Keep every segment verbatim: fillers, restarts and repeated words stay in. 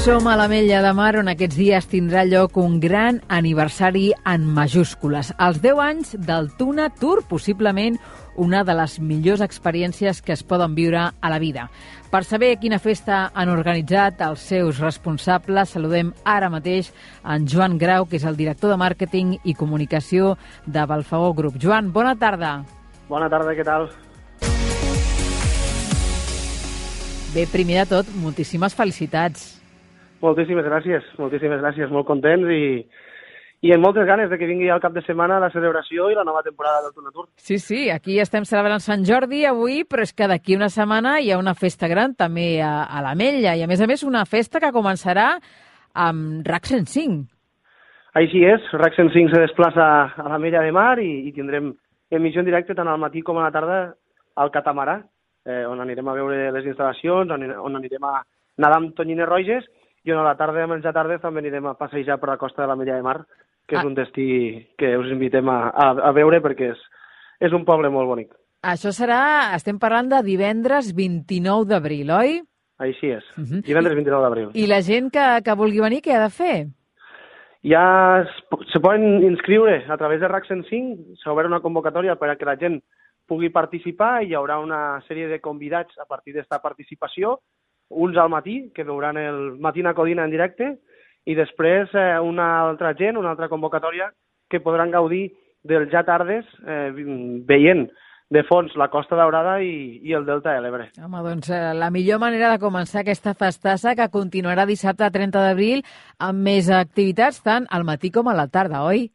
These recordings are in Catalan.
Som a l'Ametlla de Mar, on aquests dies tindrà lloc un gran aniversari en majúscules. Els deu anys del Tuna Tour, possiblement una de les millors experiències que es poden viure a la vida. Per saber quina festa han organitzat els seus responsables, saludem ara mateix en Joan Grau, que és el director de màrqueting i comunicació de Balfagó Group. Joan, bona tarda. Bona tarda, què tal? Bé, primer de tot, moltíssimes felicitats. Moltíssimes gràcies, moltíssimes gràcies, molt contents i, i amb moltes ganes de que vingui al cap de setmana la celebració i la nova temporada del Tuna Tour. Sí, sí, aquí estem celebrant Sant Jordi avui, però és que d'aquí una setmana hi ha una festa gran també a, a l'Ametlla i a més a més una festa que començarà amb RAC cent cinc. Així és, RAC cent cinc se desplaça a l'Ametlla de Mar i, i tindrem emissió en directe tant al matí com a la tarda al catamarà, eh, on anirem a veure les instal·lacions, on, on anirem a nedar amb tonyines roges i on a la tarda, a menjar tarda, també anirem a passejar per la costa de l'Ametlla de Mar, que ah. és un destí que us invitem a, a, a veure perquè és, és un poble molt bonic. Això serà, estem parlant de divendres vint-i-nou d'abril, oi? Així és, uh-huh. divendres vint-i-nou d'abril. I la gent que, que vulgui venir, què ha de fer? Ja es, se poden inscriure a través de RAC cent cinc, s'ha obert una convocatòria per a que la gent pugui participar i hi haurà una sèrie de convidats a partir d'esta participació, uns al matí, que veuran el Matina Codina en directe, i després eh, una altra gent, una altra convocatòria, que podran gaudir del ja tardes, eh, veient de fons la Costa Daurada i, i el Delta de l'Ebre. Home, doncs eh, la millor manera de començar aquesta festassa, que continuarà dissabte trenta d'abril, amb més activitats tant al matí com a la tarda, oi?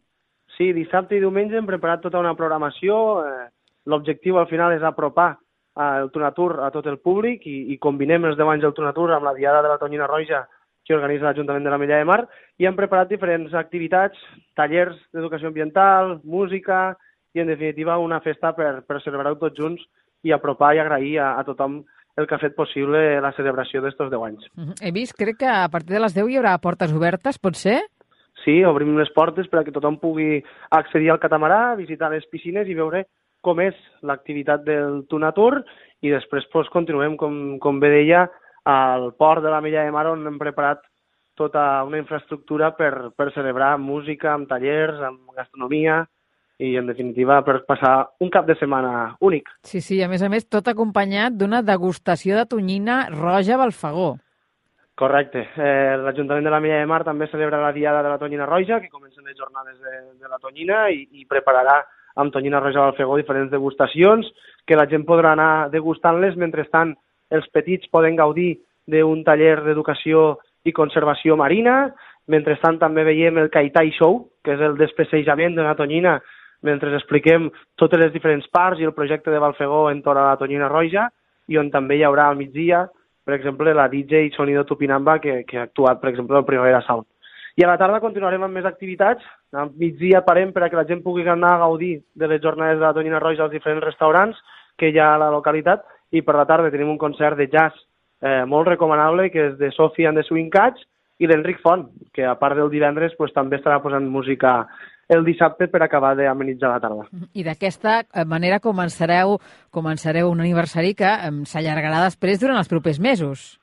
Sí, dissabte i diumenge hem preparat tota una programació. Eh, l'objectiu al final és apropar el Tuna Tour a tot el públic i, i combinem els deu anys del Tuna Tour amb la Diada de la Tonyina Roja que organitza l'Ajuntament de l'Ametlla de Mar i hem preparat diferents activitats, tallers d'educació ambiental, música i, en definitiva, una festa per, per celebrar-ho tots junts i apropar i agrair a, a tothom el que ha fet possible la celebració d'estos deu anys. He vist, crec que a partir de les deu hi haurà portes obertes, pot ser? Sí, obrim les portes perquè tothom pugui accedir al catamarà, visitar les piscines i veure com és l'activitat del Tuna Tour i després pues, continuem, com, com bé deia, al port de l'Ametlla de Mar on hem preparat tota una infraestructura per, per celebrar música, amb tallers, amb gastronomia i, en definitiva, per passar un cap de setmana únic. Sí, sí, a més a més, tot acompanyat d'una degustació de tonyina roja a Balfagó. Correcte. Eh, L'Ajuntament de l'Ametlla de Mar també celebra la Diada de la Tonyina Roja, que comencen les jornades de, de la tonyina i, i prepararà amb tonyina roja al Balfagó diferents degustacions, que la gent podrà anar degustant-les, mentrestant els petits poden gaudir d'un taller d'educació i conservació marina, mentrestant també veiem el Kaitai Show, que és el despecejament d'una tonyina, mentre expliquem totes les diferents parts i el projecte de Balfagó entorn a la tonyina roja, i on també hi haurà al migdia, per exemple, la D J Sonido Tupinamba, que, que ha actuat, per exemple, al Primavera Sound. I a la tarda continuarem amb més activitats. Al migdia parem per a que la gent pugui anar a gaudir de les jornades de la tonyina roja als diferents restaurants que hi ha a la localitat i per la tarda tenim un concert de jazz eh, molt recomanable que és de Sophie and the Swing Cats i l'Enric Font, que a part del divendres pues, també estarà posant música el dissabte per acabar d'amenitzar la tarda. I d'aquesta manera començareu, començareu un aniversari que eh, s'allargarà després durant els propers mesos.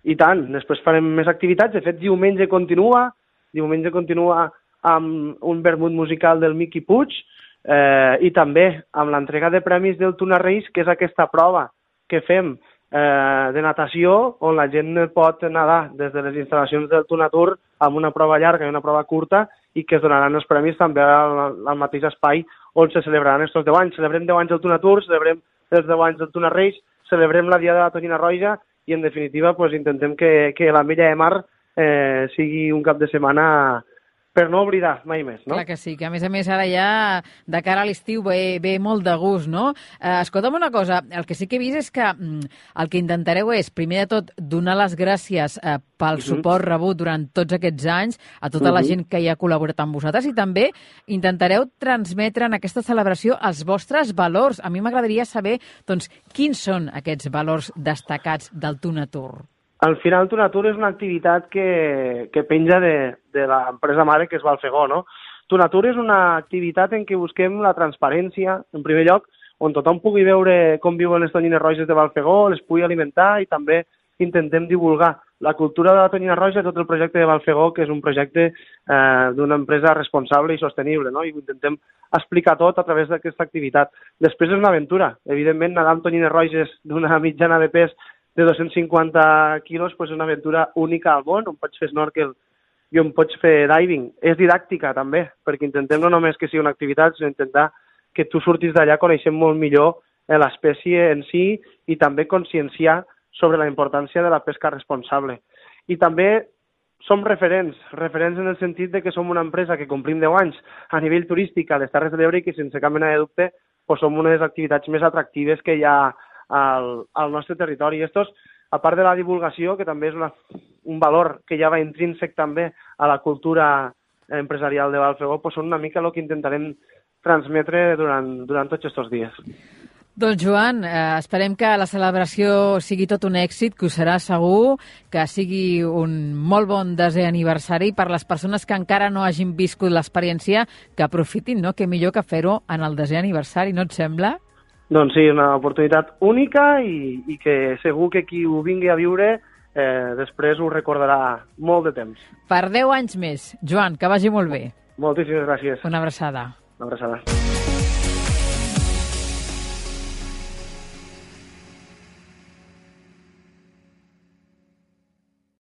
I tant, després farem més activitats. De fet, diumenge continua, diumenge continua amb un vermut musical del Miqui Puig eh, i també amb l'entrega de premis del Tuna Race, que és aquesta prova que fem eh, de natació, on la gent pot nedar des de les instal·lacions del Tuna Tour amb una prova llarga i una prova curta i que es donaran els premis també al, al mateix espai on se celebraran aquests deu anys. Celebrem deu anys del Tuna Tour, celebrem els deu anys del Tuna Race, celebrem la Diada de la Tonyina Roja i, en definitiva, pues, intentem que, que l'Ametlla de Mar eh, sigui un cap de setmana per no oblidar mai més, no? Clar que sí, que a més a més ara ja de cara a l'estiu ve, ve molt de gust, no? Eh, escolta'm una cosa, el que sí que he vist és que mm, el que intentareu és, primer de tot, donar les gràcies eh, pel uh-huh. suport rebut durant tots aquests anys a tota uh-huh. la gent que hi ha col·laborat amb vosaltres i també intentareu transmetre en aquesta celebració els vostres valors. A mi m'agradaria saber, doncs, quins són aquests valors destacats del Tuna Tour. Al final, Tuna Tour és una activitat que, que penja de, de l'empresa mare, que és Balfagó, no? Tuna Tour és una activitat en què busquem la transparència, en primer lloc, on tothom pugui veure com viuen les tonyines roges de Balfagó, les pugui alimentar i també intentem divulgar la cultura de la Tonyina Roja, tot el projecte de Valfegó, que és un projecte eh, d'una empresa responsable i sostenible, no? I ho intentem explicar tot a través d'aquesta activitat. Després és una aventura. Evidentment, nedar amb tonyines roges d'una mitjana de pes de dos-cents cinquanta quilos pues és una aventura única al món, on pots fer snorkel i on pots fer diving. És didàctica, també, perquè intentem no només que sigui una activitat, sinó intentar que tu surtis d'allà coneixent molt millor l'espècie en si i també conscienciar sobre la importància de la pesca responsable. I també som referents, referents en el sentit de que som una empresa que complim deu anys a nivell turístic a les Terres de l'Ebre i que, sense cap mena de dubte, pues, som una de les activitats més atractives que hi ha al, al nostre territori. I estos, a part de la divulgació, que també és una, un valor que ja va intrínsec també a la cultura empresarial de Valfegó, pues, són una mica el que intentarem transmetre durant, durant tots aquests dies. Doncs, Joan, eh, esperem que la celebració sigui tot un èxit, que ho serà segur, que sigui un molt bon desè aniversari per les persones que encara no hagin viscut l'experiència, que aprofitin, no? Que millor que fer-ho en el desè aniversari, no et sembla? Doncs sí, una oportunitat única i, i que segur que qui ho vingui a viure eh, després ho recordarà molt de temps. Per deu anys més. Joan, que vagi molt bé. Moltíssimes gràcies. Una abraçada. Una abraçada.